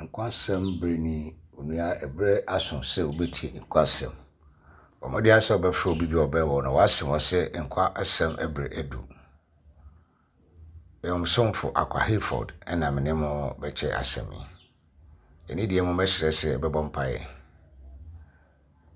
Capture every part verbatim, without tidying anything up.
Nkwa asɛm bere ni onua ɛberɛ aso sɛ wobɛtie nkwa asɛm. Bɔ mmɔden ara sɛ wobɛfrɛ obi bi a ɔbɛn wo na wasɛm wɔ sɛ nkwa asɛm bere adu. Ɛyɛ mo somfo Akwa Hayford ɛna me ne mo bɛkyɛ asɛm yi. Ɛne deɛ mo mɛsrɛ sɛ bɛbɔ mpaeɛ.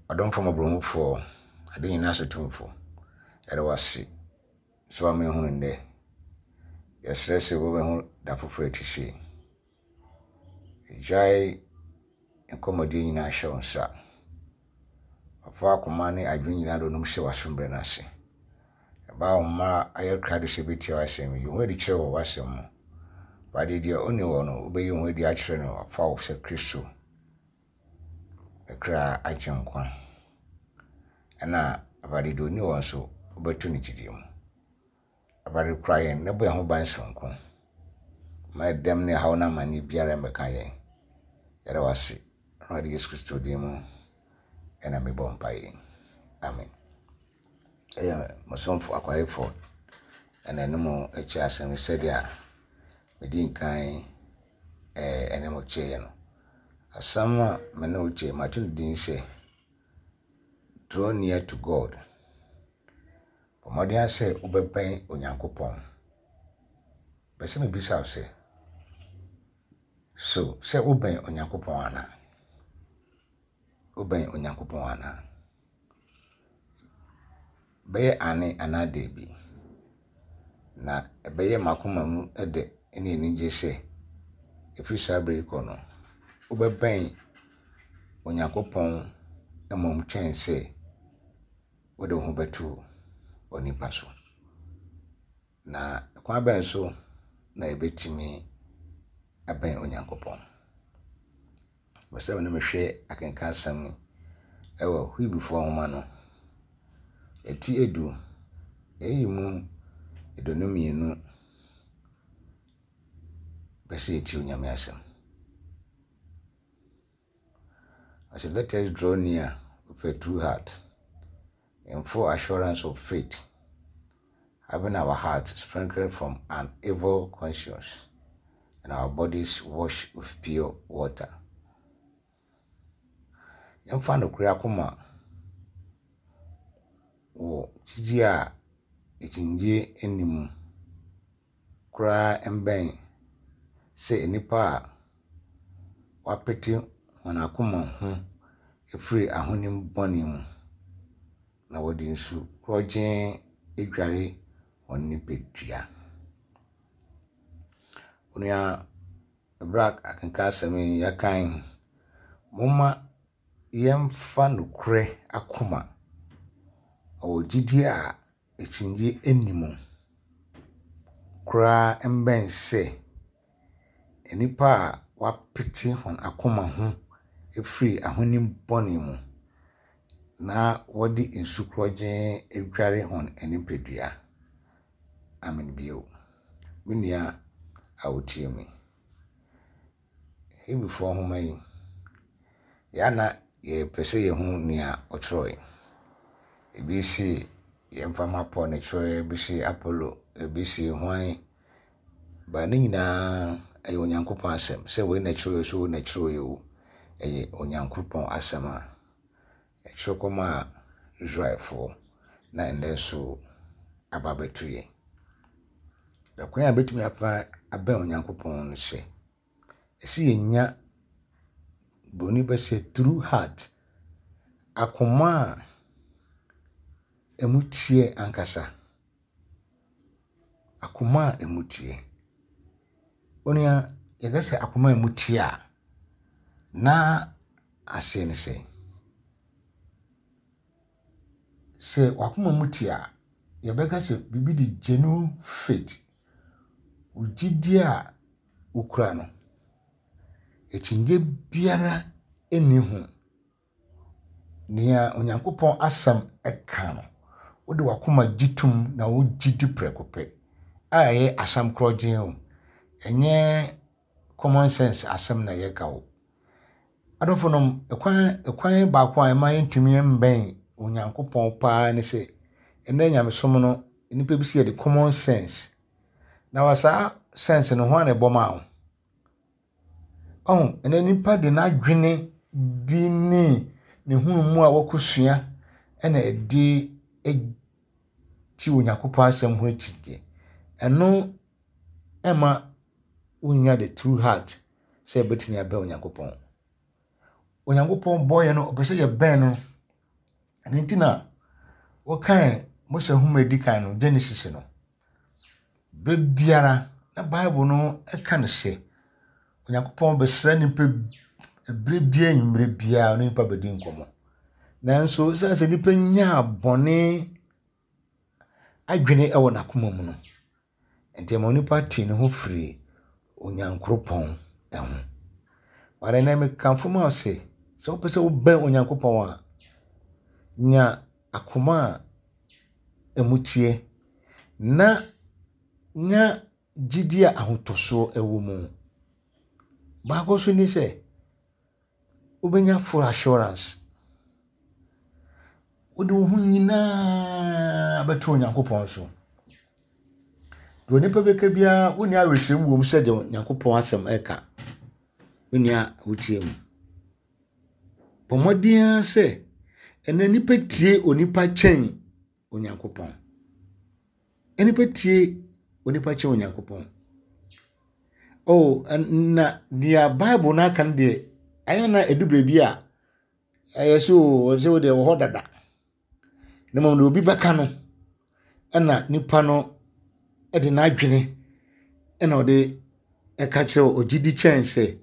Ɔdomfo mmɔborɔhufoɔ, ade nyinaa so tumfo, yɛda wo ase sɛ wama yɛhunu nnɛ. Yɛsrɛ sɛ wobɛhu da foforɔ a ɛte sei. Gyae nkɔmmɔdie nyinaa hyɛ wo nsa. Ɔfa akoma ne adwene nyinaa de onom hyɛ w'asombrɛ no ase. Ɛbaa wo mma ayɛ krado sɛ bɛtie w'asɛm yi. Wo ho adi kyerɛ wɔ w'asɛm mu. Awurade deɛ ɔnni hɔ no, wobɛyi wo ho adi akyerɛ no afa wo sɛ Kristo kra agye nkwa. Ɛna Awurade deɛ ɔnni hɔ nso, wobɛto no gyidie mu. Awurade kora yɛn na bɔ yɛn ho ban sononko. Ma ɛdɛm ne haw no amanneɛ biara mmɛka yɛn. Yɛda wo ase. Awurade Yesu Kristo din mu ɛna mebɔ mpaeɛ. Amen. Ɛyɛ mo somfo Akwa Hayford ɛna ɛne mo kyɛ asɛm yi sɛdeɛ medi nkan ɛne mo kyɛeɛ no. Asɛm a me ne wo kyɛ mato no din sɛ Draw near to God. Bɔ mmɔden ara sɛ wobɛbɛn Onyankopɔn. Pɛ sɛ mebisa wo sɛ, so sɛ wobɛn Onyankopɔn anaa? Wobɛn Onyankopɔn anaa? Bɛyɛ ane anaa daabi. Na ɛbɛyɛ m'akoma mu dɛ ne anigye sɛ ɛfiri saa berɛ yi kɔ no, wobɛbɛn Onyankopɔn mmom kyɛn sɛ wode wo ho bɛto onipa so. Na kwan bɛn so na yɛbɛtumi abɛn Onyankopɔn? Pɛ sɛ me ne mehwɛ akenka asɛm ɛwɔ Hebrifoɔ nwoma no, ɛti edu, ɛyi mu aduonu mmienu pɛ sɛ yɛtie Onyame asɛm. I said, let us draw near with a true heart, in full assurance of faith, having our hearts sprinkled from an evil conscience and our bodies washed with pure water. Yɛmfa nokorɛ akoma wɔ gyidie a akyinnye nni mu koraa mbɛn sɛ nnipa a wɔapete wɔn akoma ho afiri ahonim bɔne mu na wɔde nsu korɔgyenn adware wɔn nipadua. Onua, ɛberɛ a akenka asɛm yi yɛkan, momma yɛmfa nokorɛ akoma wɔ gyidie a akyinnye nni mu koraa mbɛn sɛ nnipa a wɔapete wɔn akoma ho afiri ahonim bɔne mu na wɔde nsu korɔgyenn adware wɔn nipadua. Amen bio. Me nua a wotie me. Hebrifoɔ nwoma yi, yɛa yɛpɛ sɛ yɛhu nea ɔtwerɛe. Ebi si yɛmfa ma Paul na ɛtwerɛeɛ, ebi si Apollo, ebi si hwan. Ba ne nyinaa ɛyɛ Onyankopɔn asɛm. Sɛ wei na ɛtwerɛeɛ so wei na ɛtwerɛeɛ o, ɛyɛ Onyankopɔn asɛm a ɛtwerɛ kɔmaa Israelfoɔ na ɛnnɛ nso aba abɛto yɛn. Ɛkwan a yɛbɛtumi afa abɛn Onyankopɔn no sɛ, ɛsɛ yɛnya Buroni bɛsɛ true heart, akoma a ɛmu teɛ ankasa. Akoma a ɛmu teɛ. Onua, yɛka sɛ akoma a ɛmu teɛ a, na aseɛ ne sɛ, sɛ w'akoma mu te a, yɛbɛka sɛ biribi de genuine faith, wo gyidie a wokura no, akyinnye biara nni ho. Nea Onyankopɔn asɛm ka no, wode w'akoma gye tom na wogye di prɛko pɛ a ɛyɛ asɛm korɔgyenn o. Ɛnyɛ common sense asɛm na yɛka o. Adɔfonom, ɛkwan ɛkwan baako a ɛma yɛntumi mbɛn Onyankopɔn paa ne sɛ, ɛnnɛ nyamesom no, nnipa bi si yɛde common sense. Na wɔ saa sense no, hwan na ɛbɔ maa wo? Ɔho, ɛnɛ nipa de n'adwene bi ne ne hunumu a wɔkɔsua ɛna ɛde ti Onyankopɔn asɛm ho akyinnye. Ɛno ɛma wonya the true heart sɛ ɛbɛtumi abɛn Onyankopɔn. Onyankopɔn bɔɔ yɛn no, ɔpɛ sɛ yɛbɛn no. Ɛno nti na wɔkae Mose nhoma a edi kan no, Genesis no, berɛ biara na Bible no ɛka no sɛ Onyankopɔn bɛsra nnipa berɛ biara anwummerɛ biara ɔne nnipa bɛdi nkɔmmɔ. Nanso ɛsiane sɛ nnipa nyaa bɔne adwene wɔ n'akoma mu no, nti ɛma onipa tee ne ho firi Onyankopɔn ho. But ɛnnɛ mekamfo ma wo sɛ, sɛ wopɛ sɛ wobɛn Onyankopɔn a, nya akoma a emu teɛ na nya gyidie a ahotɔsoɔ wɔ mu. Baako nso ne sɛ, wobɛnya full assurance. Wode wo ho nyinaa bɛto Onyankopɔn so. Deɛ onipa bɛka biara, wonni awerɛhyɛmu wɔ mu sɛ deɛ Onyankopɔn asɛm ɛka. Me nua wotie mu. Bɔ mmɔden ara sɛ ɛnɛ nipa tie onipa kyɛn Onyankopɔn. Nipa tie onipa kyɛn Onyankopɔn. Oh, na deɛ Bible no aka no deɛ, ɛyɛ na ɛdu baabi a ɛyɛ sɛ o, sɛ wo deɛ wɔ hɔ dada. Na mmom deɛ obi bɛka no, ɛna nipa no ɛde n'adwene ɛna ɔde ɛka kyerɛ wo, ɔgye di kyɛn sɛ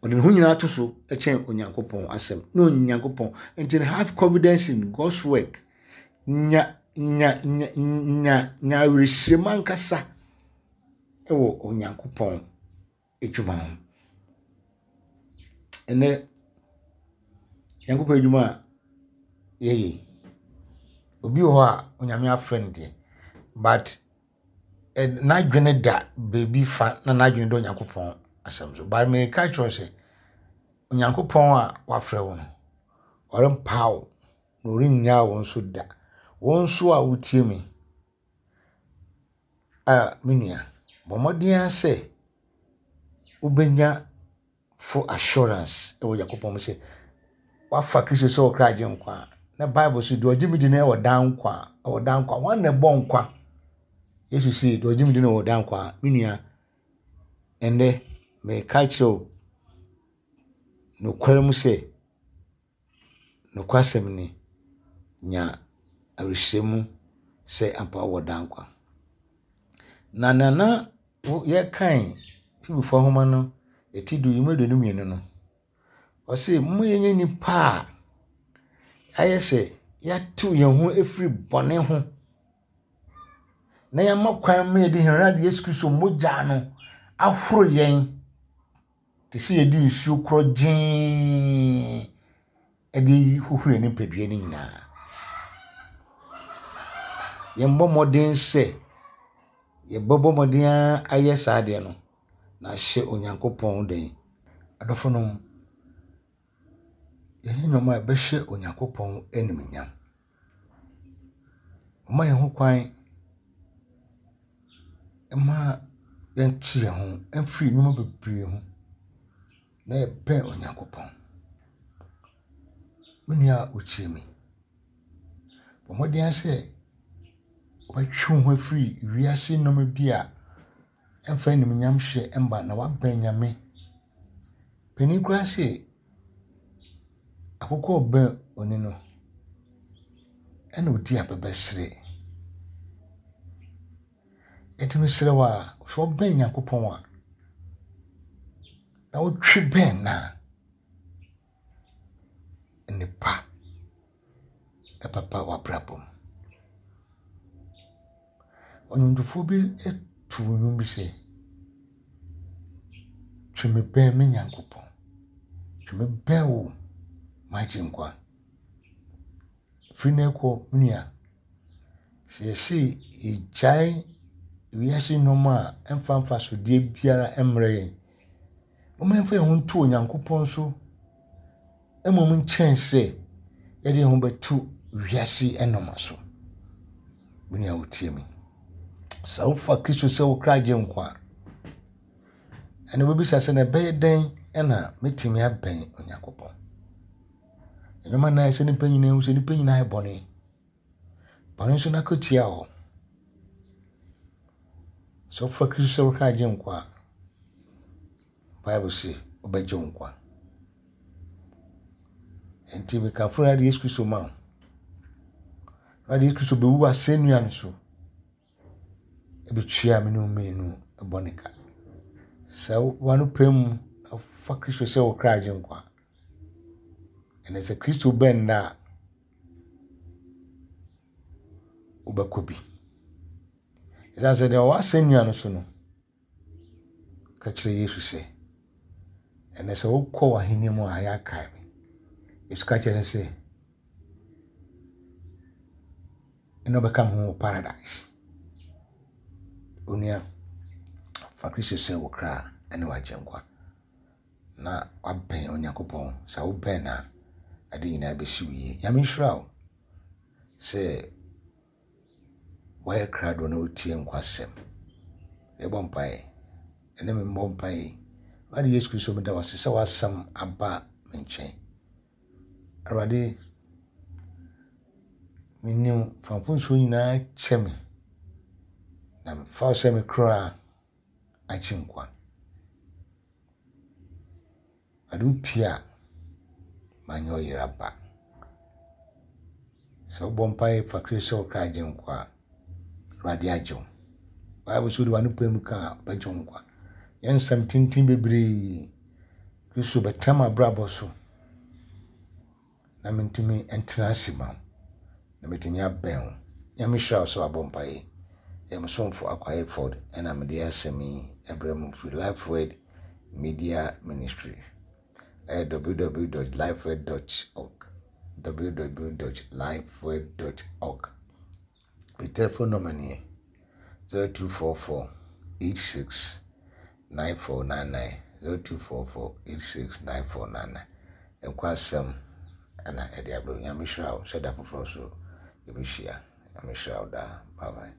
ɔde ne ho nyinaa to so kyɛn Onyankopɔn asɛm. Na Onyankopɔn nti no have confidence in God's work. Nya nya nya nya nya awerɛhyɛmu ankasa ɛwɔ Onyankopɔn adwuma ho. Ɛnɛ Nyankopɔn adwuma a yɛyɛ, obi wɔ hɔ a Onyame afrɛ no deɛ, but n'adwene da baabi fa na n'adwene da Onyankopɔn asɛm so. But meka kyerɛ wo sɛ, Onyankopɔn a wafrɛ wo no, ɔrempa wo na ɔrennyaa wo nso da. Wo nso a wotie me, a me nua, bɔ mmɔden ara sɛ wobɛnya full assurance ɛwɔ Onyankopɔn mu sɛ wafa Kristo sɛ ɔkra agye nkwa a, na Bible so deɛ ɔgye me di no ɛwɔ daa nkwa, ɛwɔ daa nkwa. Wɔn na ɛbɔ nkwa. Yesu se deɛ ɔgye me di no ɛwɔ daa nkwa. Me nua, ɛnnɛ meka kyerɛ wo nokware mu sɛ, nokwasɛm ni, nya awerɛhyɛmu sɛ ampa wɔ daa nkwa. Na nana yɛkan Hebrifoɔ nhoma no eti du yi mu aduonu mmienu no, ɔse momma yɛnyɛ nnipa a ayɛ sɛ yɛatew yɛn ho afiri bɔne ho na yɛama kwan ma yɛde yɛn Awurade Yesu Kristo mogya no ahoro yɛn te sɛ yɛde nsuo korɔ gyee ɛde hohoro yɛn nipadua no nyinaa. Yɛmbɔ mmɔden sɛ yɛbɛbɔ mmɔden ara ayɛ saa adeɛ no na ahyɛ Onyankopɔn den. Adɔfonom, yɛnyɛ nneɛma a ɛbɛhyɛ Onyankopɔn animuonyam. Ɔma yɛn ho kwan ma yɛnte yɛn ho mfiri nneɛma bebree ho na yɛbɛn Onyankopɔn. Me nua a wotie me, bɔ mmɔden ara sɛ wobɛtwe wo ho afiri wiase nneɛma bi a ɛmfa animuonyam hyɛ mba na woabɛn Nyame. Panin koraa se akokɔ rebɛn oni no, ɛna odi abɛbɛsere. Enti mesrɛ wo a, sɛ wobɛn Nyankopɔn a, na wotwe bɛn no a, nnepa ɛbɛba w'abrabɔ mu. Ɔnwomtofoɔ bi to nnwom bi sɛ, twe me bɛn me Nyankopɔn, twe me bɛn wo m'agyenkwa. Firi nnɛ kɔ, me nua, sɛ yɛse yɛgyae wiase nneɛma a ɛmfa mfasodeɛ biara mmrɛ yɛn, momma yɛmfa yɛn ho nto Onyankopɔn so mmom nkyɛn sɛ yɛde yɛn ho bɛto wiase nneɛma so. Me nua wotie me, sɛ wofa Kristo sɛ wo kra agye nkwa a, Ɛna wobɛbisa sɛ na ɛbɛyɛ dɛn ɛna mɛtumi abɛn Onyankopɔn? Nneɛma nan sɛ nipa nyinaa hu sɛ nipa nyinaa yɛ bɔne. Bɔne nso n'akatua wɔ hɔ. Sɛ wofa Kristo sɛ wo kra agye nkwa a, Bible se wobɛgye wo nkwa. Nti mekamfo Awurade Yesu Kristo ma wo. Awurade Yesu Kristo bɛwu asɛnnua no so. Ɛbɛtua me ne wo mmienu bɔne ka. Sɛ w'ano pɛ mu na wofa Kristo sɛ wo kra agye nkwa, ɛnɛ sɛ Kristo bɛn nnɛ a, wobɛkɔ bi. Ɛsiane sɛ deɛ ɔwɔ asɛnnua no so no, ka kyerɛ Yesu sɛ, ɛnɛ sɛ wokɔ w'ahenni mu a ayɛ akae me. Yesu ka kyerɛ no sɛ, ɛna ɔbɛka me ho wɔ paradise. Onua, fa Kristo sɛ wo kra ne w'agye nkwa na wabɛn Onyankopɔn. Sɛ wobɛn no a, ade nyinaa bɛsi wo yie. Nyame nhyira wo sɛ woayɛ krado na wotie nkwasɛm. Yɛbɔ mpaeɛ. Ɛne me mmɔ mpaeɛ. Awurade Yesu Kristo, meda wo ase sɛ w'asɛm aba me nkyɛn. Awurade, menim fa mfomsoɔ nyinaa kyɛ me na mefa wo sɛ me kra agye nkwa. Awurade, wopie a, manyɛ ɔyera ba. Sɛ wobɔ mpaeɛ fa Kristo sɛ wo kra agye nkwa a, Awurade agye wo. Bible sɛ wode w'ano pɛ mu ka a, wobɛgye wo nkwa. Yɛn nsɛm tenten bebree, Kristo bɛtena m'abrabɔ so na mentumi ntena ase ma wo na metumi abɛn wo. Nyame hyira wo sɛ wabɔ mpaeɛ. Yɛ mo somfo Akwa Hayford ɛna mede asɛm yi ɛbrɛ mu firi Life Word Media Ministry. Ɛyɛ w w w dot lifeword dot org, w w w dot lifeword dot org. Me telephone number nie zero two four four eight six nine four nine nine, zero two four four eight six nine four nine nine. Nkwa asɛm ɛna ɛde abrɛ. Nyame hyira wo sɛ da foforɔ so yɛbɛhyia. Nyame hyira wo daa. Bye bye.